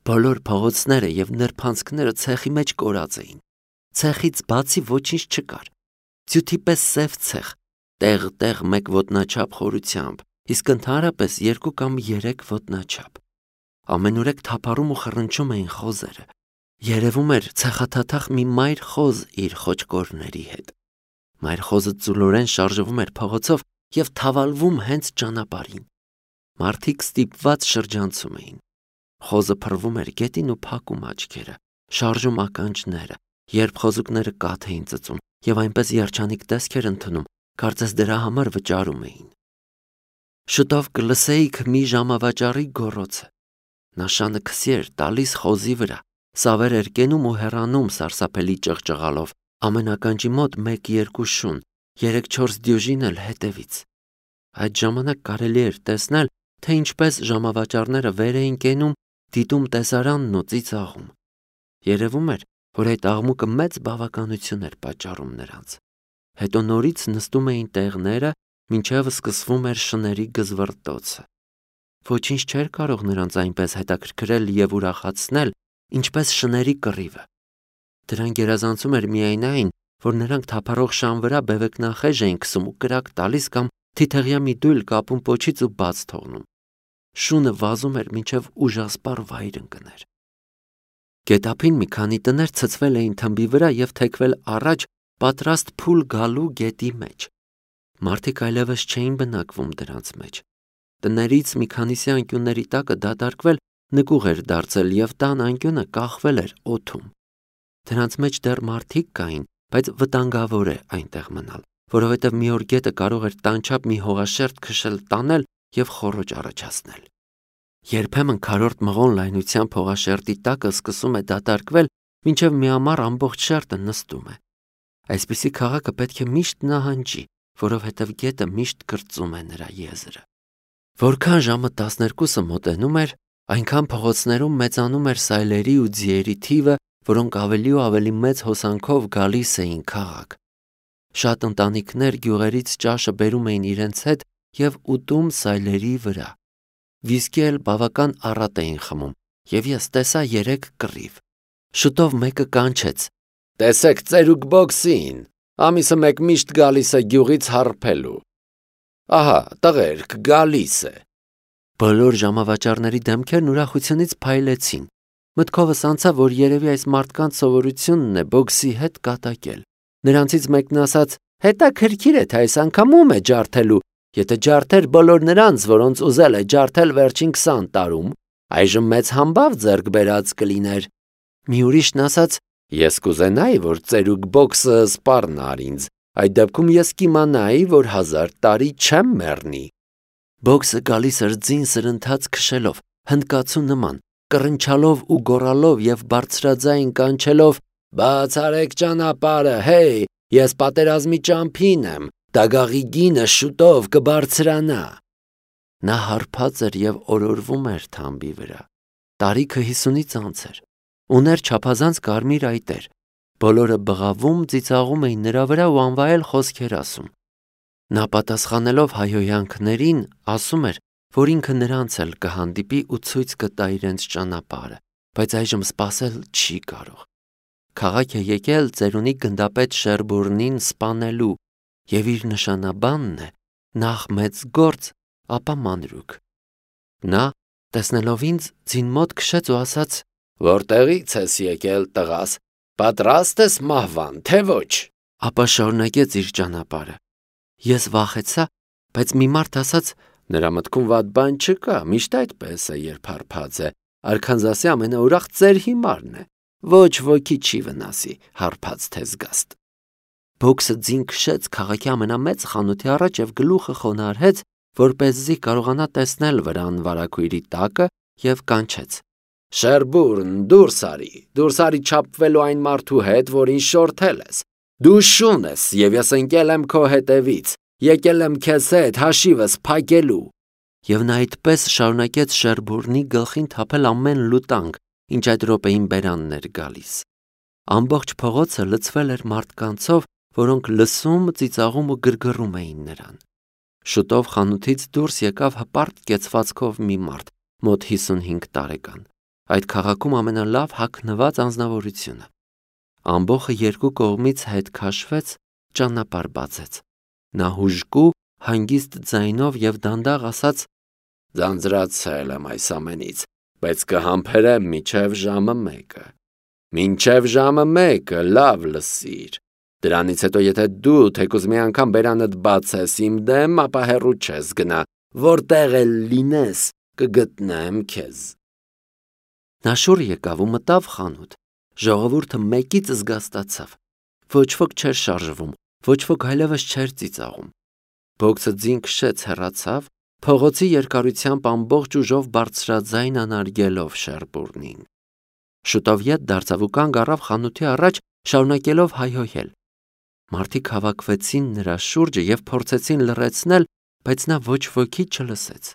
Բոլոր փողոցները եւ նրբանցքները ցեխի մեջ կորած էին։ Ցեխից բացի ոչինչ չկար։ Ձյութի պես սև ցեխ, տեղ-տեղ մեկ ոտնաչափ խորությամբ, իսկ ընդհանրապես 2 կամ 3 ոտնաչափ։ Ամենուրեք թափառում ու խռնչում էին խոզերը։ Երևում էր ցեխաթաթախ մի մայր խոզ իր խոճկորների հետ։ Մայր խոզը ծուլորեն շարժվում էր փողոցով եւ թավալվում հենց ճանապարհին։ Մարդիկ ստիպված շրջանցում էին։ Խոզը փռվում էր գետին ու փակում աչքերը, շարժում ականջները, երբ խոզուկները կաթ էին ծծում եւ այնպես երջանիկ տեսք էր ընդունում, կարծես դրա համար վճարում էին։ Շուտով կլսեիք մի ժամավաճառի գոռոցը։ Նա շանը քսի էր տալիս խոզի վրա, սավեր էր կենում ու հեռանում սարսափելի ճղճղալով, ամեն ականջի մոտ 1-2 շուն, 3-4 դյուժին էլ հետևից։ Այդ ժամանակ կարելի էր տեսնել, թե ինչպես ժամավաճառները վեր էին կենում, դիտում տեսարանն ու ծիծաղում։ Երևում էր, որ այդ աղմուկը մեծ բավականություն էր պատճառում նրանց։ Հետո նորից նստում էին տեղները, մինչև սկսվում էր շների գզվռտոցը։ Ոչինչ չէր կարող նրանց այնպես հետաքրքրել եւ ուրախացնել, ինչպես շների կռիվը։ Դրան գերազանցում էր միայն այն, որ նրանք թափառող շան վրա բևեկնախեժ էին քսում ու կրակ տալիս կամ թիթեղյա մի դույլ կապում պոչից ու բաց թողնում։ Շունը վազում էր մինչև ուժասպառ վայր ընկներ։ Գետափին մի քանի տներ ցցվել էին թմբի վրա եւ թեքվել առաջ, պատրաստ փուլ գալու գետի մեջ։ Մարդիկ այլևս չէին բնակվում դրանց մեջ։ Տներից մի քանիսի անկյունների տակը դատարկվել նկուղ էր դարձել եւ տան անկյունը կախվել էր օդում։ Դրանց մեջ դեռ մարդիկ կային, բայց վտանգավոր է այնտեղ մնալ, որովհետեւ մի օր գետը կարող էր տանչապ մի հողաշերտ քշել տանել եւ խոռոճ առաջացնել։ Երբեմն քարորդ մղոն լայնությամբ հողաշերտի տակը սկսում է դատարկվել, մինչև մի ամառ ամբողջ շերտը նստում է։ Այսպիսի քաղաքը պետք է միշտ նահանջի, որովհետև գետը միշտ կրծում է նրա եզրը։ Որքան ժամը 12-ը մոտենում էր, այնքան փողոցներում մեծանում էր սայլերի ու ձիերի թիվը, որոնք ավելի ու ավելի մեծ հոսանքով գալիս էին քաղաք։ Շատ ընտանիքներ գյուղերից ճաշը բերում էին իրենց հետ եւ ուտում սայլերի վրա։ Վիսկի էլ բավական առատ էին խմում, եւ ես տեսա 3 կռիվ։ Շուտով մեկը կանչեց. «Տեսեք ծերուկ բոքսին, ամիսը մեկ միշտ գալիս է գյուղից հարբելու։ Ահա, տղերք, գալիս է»։ Բոլոր ժամավաճառների դեմքերն ուրախությունից փայլեցին։ Մտքովս անցավ, որ երևի այս մարդկանց սովորությունն է բոքսի հետ կատակել։ Նրանցից մեկն ասաց. «Հետաքրքիր է, թե այս անգամ ում է ջարդելու, եթե ջարդեր բոլոր նրանց, որոնց ուզել է ջարդել վերջին 20 տարում, այժմ մեծ համբավ ձեռք բերած կլիներ»։ Մի ուրիշն ասաց. «Ես կուզենայի, որ ծերուկ բոքսը սպառնար ինձ, այդ դեպքում ես կիմանայի, որ 1000 տարի չեմ մեռնի»։ Բոքսը գալիս էր ձին սրընթաց քշելով, հնդկացու նման, կռնչալով ու գոռալով եւ բարձրաձայն կանչելով. «Բացարեք ճանապարհը, հեյ, ես պատերազմի ճամփին եմ, դագաղի գինը շուտով կբարձրանա»։ Նա հարբած էր եւ օրորվում էր թամբի վրա։ Տարիքը 50-ից անց էր։ Ուներ չափազանց կարմիր այտեր։ Բոլորը բղավում, ծիծաղում էին նրա վրա ու անվայել խոսքեր ասում։ Նա պատասխանելով հայհոյանքներին, ասում էր, որ ինքը նրանց էլ կհանդիպի ու ցույց կտա իրենց ճանապարհը, բայց այժմ սպասել չի կարող։ Քաղաք է եկել ծերունի գնդապետ Շերբուրնին սպանելու, եւ իր նշանաբանն է նախ մեծ գործ, ապա մանրուք։ Նա, տեսնելով ինձ, ձին մոտ քշեց ու ասաց. «Որտեղից ես եկել, տղաս, պատրաստ ես մահվան, թե ոչ»։ Ապա շարունակեց իր ճանապարհը։ Ես վախեցա, բայց մի մարդ ասաց. «Նրա մտքում վատ բան չկա, միշտ այդպես է, երբ հարբած է, Արքանզասի ամենաուրախ ծեր հիմարն է, ոչ ոքի չի վնասի, հարբած թե զգաստ»։ Բոքսը ձին քշեց քաղաքի ամենամեծ խանութի առաջ եւ գլուխը խոնարհեց, որպեսզի կարողանա տեսնել վրան վարագույրի տակը եւ կանչեց. «Շերբուրն, դուրս արի չափվելու այն մարդու հետ, որին շորթել ես։ Դու շուն ես եւ ես ընկել եմ քո հետևից, եկել եմ քեզ հետ հաշիվս փակելու»։ Եվ նա այդպես շարունակեց Շերբուրնի գլխին թափել ամեն լուտանգ, ինչ այդ րոպեին բերանն էր գալիս։ Ամբողջ փողոցը լցվել էր մարդկանցով, որոնք լսում, ծիծաղում ու գրգռում էին նրան։ Շուտով խանութից դուրս եկավ հպարտ կեցվածքով մի մարդ, մոտ 55 տարեկան։ այդ քաղաքում ամենալավ հագնված անձնավորությունը։ Ամբոխը երկու կողմից հետ քաշվեց, ճանապարհ բացեց։ Նա հուժկու, հանգիստ ձայնով եւ դանդաղ ասաց. «Ձանձրացել եմ այս ամենից, բայց կհամբերեմ մինչև ժամը 1-ը։ Մինչև ժամը 1-ը լավ լսիր։ Դրանից հետո եթե դու թեկուզ մի անգամ բերանդ բացես իմ դեմ, ապա հեռու չես գնա, որտեղ էլ լինես, կգտնեմ քեզ»։ Նա շուռ եկավ ու մտավ խանութ։ Ժողովուրդը մեկից զգաստացավ։ Ոչ ոք չէր շարժվում, ոչ ոք այլևս չէր ծիծաղում։ Բոքսը ձին քշեց, հեռացավ, փողոցի երկարությամբ ամբողջ ուժով բարձրաձայն անարգելով Շերբուրնին։ Շուտով ետ դարձավ ու կանգ առավ խանութի առաջ, շարունակելով հայհոյել։ Մարդիկ հավաքվեցին նրա շուրջը եւ փորձեցին լռեցնել, բայց նա ոչ ոքի չլսեց։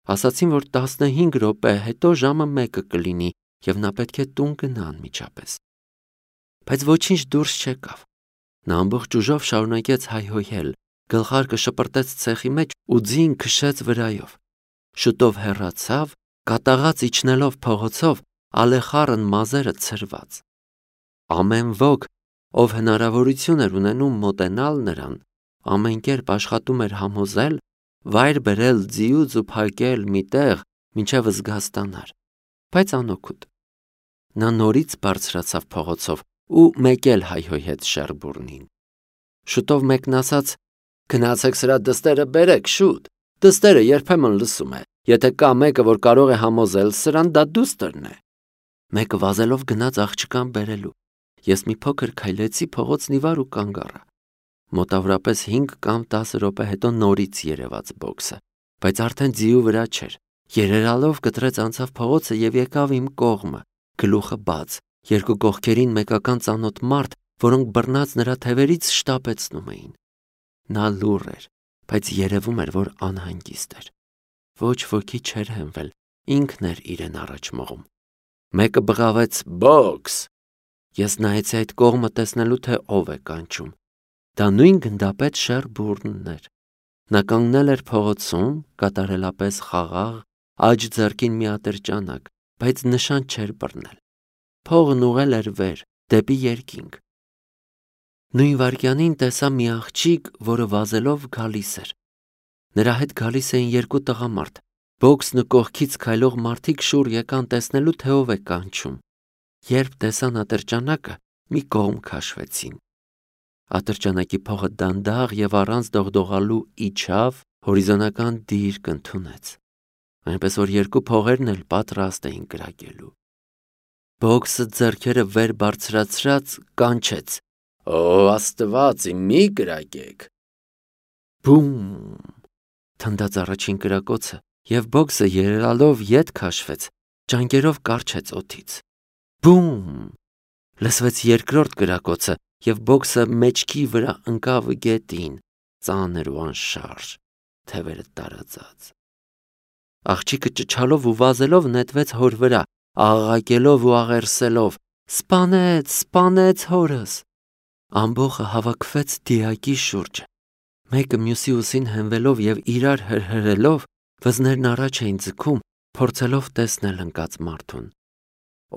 Ասացին, որ 15 րոպե հետո ժամը 1-ը կլինի եւ նա պետք է տուն գնա անմիջապես։ Բայց ոչինչ դուրս չեկավ։ Նա ամբողջ ուժով շարունակեց հայհոյել, գլխարկը շպրտեց ցեխի մեջ ու ձին քշեց վրայով։ Շուտով հեռացավ, կատաղած իջնելով փողոցով, ալեխառն մազերը ցրված։ Ամեն ոք, ով հնարավորություն էր ունենում մոտենալ նրան, ամեն կերպ աշխատում էր համոզել, վայր բերել ձիուց ու փակել միտեղ, մինչև զգաստանար, բայց անօգուտ։ Նա նորից բարձրացավ փողոցով ու մեկ էլ հայհոյեց Շերբուրնին։ Շուտով մեկն ասաց. «Գնացեք սրա դստերը բերեք, շուտ։ Դստերը երբեմն լսում է։ Եթե կա մեկը, որ կարող է համոզել սրան, դա դուստրն է»։ Մեկը վազելով գնաց աղջկան բերելու։ Ես մի փոքր քայլեցի փողոցն ի վար ու կանգ առա։ Մոտավորապես 5 կամ 10 րոպե հետո նորից երևաց բոքսը, բայց արդեն ձիու վրա չէր։ Երերալով կտրեց անցավ փողոցը եւ եկավ իմ կողմը, գլուխը բաց, երկու կողքերին մեկական ծանոթ մարդ, որոնք բռնած նրա թևերից շտապեցնում էին։ Նա լուռ էր, բայց երևում էր, որ անհանգիստ էր։ Ոչ ոքի չէր հենվել, ինքն էր իրեն առաջ մղում։ Մեկը բղավեց. «Բոքս»։ Ես նայեցի այդ կողմը տեսնելու, թե ով է կանչում։ Դա նույն գնդապետ Շերբուրնն էր։ Նա կանգնել էր փողոցում, կատարելապես խաղաղ, աջ ձեռքին մի ատրճանակ, բայց նշան չէր բռնել։ Փողն ուղղել էր վեր, դեպի երկինք։ Նույն վայրկյանին տեսա մի աղջիկ, որը վազելով գալիս էր։ Նրա հետ գալիս էին երկու տղամարդ։ Բոքսն ու կողքից քայլող մարդիկ շուռ եկան տեսնելու, թե ով է կանչում։ Երբ տեսան ատրճանակը, մի կողմ քաշվեցին։ Ատրճանակի փողը դանդաղ եւ առանց դողդողալու իջավ, հորիզոնական դիրք ընդունեց, այնպես որ երկու փողերն էլ պատրաստ էին կրակելու։ Բոքսը ձեռքերը վեր բարձրացրած կանչեց. «Օ Աստված, մի կրակեք»։ Բում! Թնդաց առաջին կրակոցը, եւ բոքսը երերալով ետ քաշվեց, ճանկերով կարճեց օդից։ Բում! Լսվեց երկրորդ կրակոցը, եւ բոքսը մեջքի վրա ընկավ գետին, ծանր ու անշարժ, թևերը տարածած։ Աղջիկը ճչալով ու վազելով նետվեց հոր վրա, աղաղակելով ու աղերսելով. «Սպանեց, սպանեց հորս»։ Ամբոխը հավաքվեց դիակի շուրջը։ Մեկը մյուսի ուսին հենվելով եւ իրար հրհրելով, վզներն առաջ էին ձգում, փորձելով տեսնել ընկած մարդուն։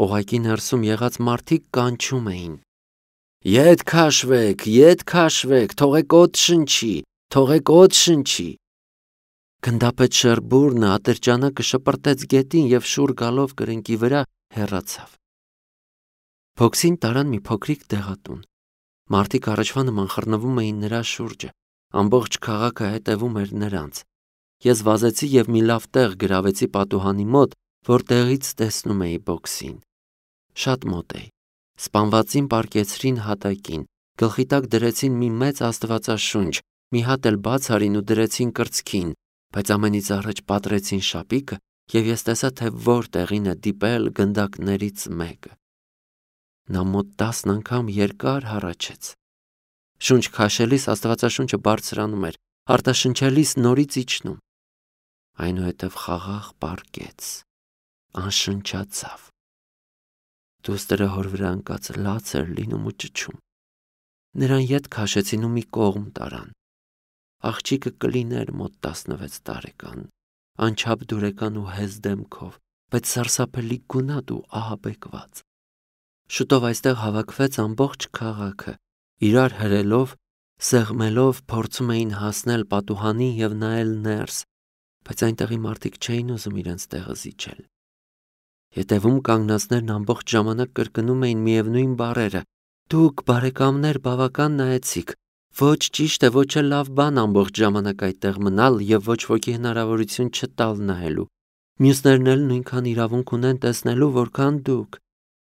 Օղակի ներսում եղած մարդիկ կանչում էին. «Ետ քաշվեք, թողեք օդ շնչի, թողեք օդ շնչի»։ Գնդապետ Շերբուրնը ատրճանակը շպրտեց գետին եւ շուռ գալով կրնկի վրա հեռացավ։ Բոքսին տարան մի փոքրիկ դեղատուն։ Մարդիկ առաջվա նման խռնվում էին նրա շուրջը։ Ամբողջ քաղաքը հետևում էր նրանց։ Ես վազեցի եւ մի լավ տեղ գրավեցի պատուհանի մոտ, որտեղից տեսնում էի բոքսին։ Շատ մոտ էի։ Սպանվածին պառկեցրին հատակին, գլխի տակ դրեցին մի մեծ աստվածաշունչ, մի հատ էլ բաց արին ու դրեցին կրծքին, բայց ամենից առաջ պատրեցին շապիկը եւ ես տեսա, թե որտեղին է դիպել գնդակներից մեկը։ Նա մոտ 10 անգամ երկար հառաչեց։ Շունչ քաշելիս աստվածաշունչը բարձրանում էր, արտաշնչելիս նորից իջնում։ Այնուհետև խաղաղ պառկեց, անշնչացավ։ Դուստրը հոր վրա ընկած լաց էր լինում ու ճչում։ Նրան ետ քաշեցին ու մի կողմ տարան։ Աղջիկը կլիներ մոտ 16 տարեկան, անչափ դուրեկան ու հեզ դեմքով, բայց սարսափելի գունատ ու ահաբեկված։ Շուտով այստեղ հավաքվեց ամբողջ քաղաքը, իրար հրելով, սեղմելով փորձում էին հասնել պատուհանին եւ նայել ներս, բայց այնտեղի մարդիկ չէին ուզում իրենց տեղը զիջել։ Ետևում կանգնածներն ամբողջ ժամանակ կրկնում էին միևնույն բառերը. «Դուք, բարեկամներ, բավական նայեցիք, ոչ ճիշտ է, ոչ էլ լավ բան ամբողջ ժամանակ այդտեղ մնալ եւ ոչ ոքի հնարավորություն չտալ նայելու։ Մյուսներն էլ նույնքան իրավունք ունեն տեսնելու, որքան դուք»։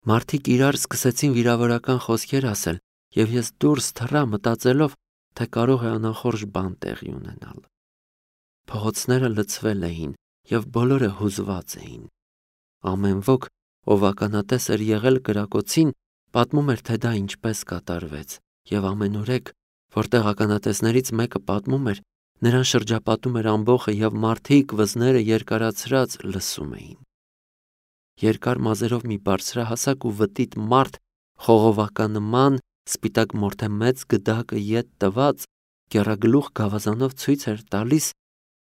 Մարդիկ իրար սկսեցին վիրավորական խոսքեր ասել, եւ ես դուրս թռա մտածելով, թե կարող է անախորժ բան տեղի ունենալ։ Փողոցները լցվել էին եւ բոլորը հուզված էին։ Ամեն ոք, ով ականատես էր եղել կրակոցին, պատմում էր, թե դա ինչպես կատարվեց, եւ ամենուրեք, որտեղ ականատեսներից մեկը պատմում էր, նրան շրջապատում էր ամբոխը եւ մարդիկ վզները երկարացրած լսում էին։ Երկար մազերով մի բարձրահասակ ու վտիտ մարդ, խողովականման, սպիտակ մորթե մեծ գդակը ետ տված, կեռագլուխ գավազանով ցույց էր տալիս,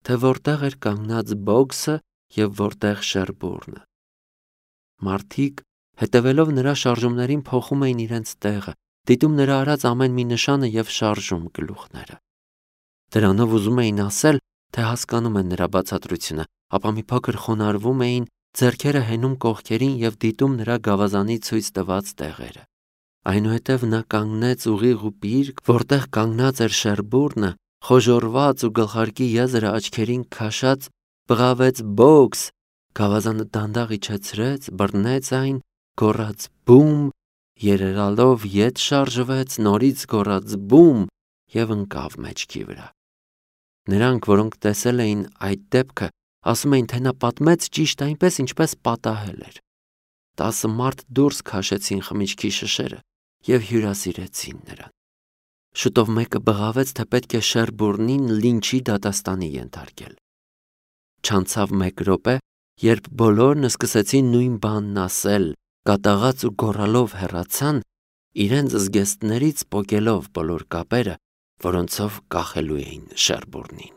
թե որտեղ էր կանգնած Բոգսը եւ որտեղ Շերբուրնը։ Մարդիկ, հետևելով նրա շարժումներին, փոխում էին իրենց տեղը, դիտում նրա արած ամեն մի նշանը եւ շարժում գլուխները։ Դրանով ուզում էին ասել, թե հասկանում են նրա բացատրությունը, ապա մի փոքր խոնարհվում էին, ձեռքերը հենում կողքերին եւ դիտում նրա գավազանի ցույց տված տեղերը։ Այնուհետև նա կանգնեց ուղիղ ու պիրկ, որտեղ կանգնած էր Շերբուրնը, խոժորված ու գլխարկի եզրը աչքերին քաշած, բղավեց Բոգս, գավազանը դանդաղ իջեցրեց, բռնեց այն, գոռաց բում, երերալով ետ շարժվեց, նորից գոռաց բում եւ ընկավ մեջքի վրա։ Նրանք, որոնք տեսել էին այդ դեպքը, ասում էին, թե նա պատմեց ճիշտ այնպես, ինչպես պատահել էր։ 10 մարդ դուրս քաշեցին խմիչքի շշերը եւ հյուրասիրեցին նրան։ Շուտով մեկը բղավեց, թե պետք է Շերբուրնին լինչի դատաստանի ենթարկել։ Չանցավ 1 րոպե, երբ բոլորն սկսեցին նույն բանն ասել, կատաղած ու գոռալով հեռացան, իրենց զգեստներից պոկելով բոլոր կապերը, որոնցով կախելու էին Շերբուրնին։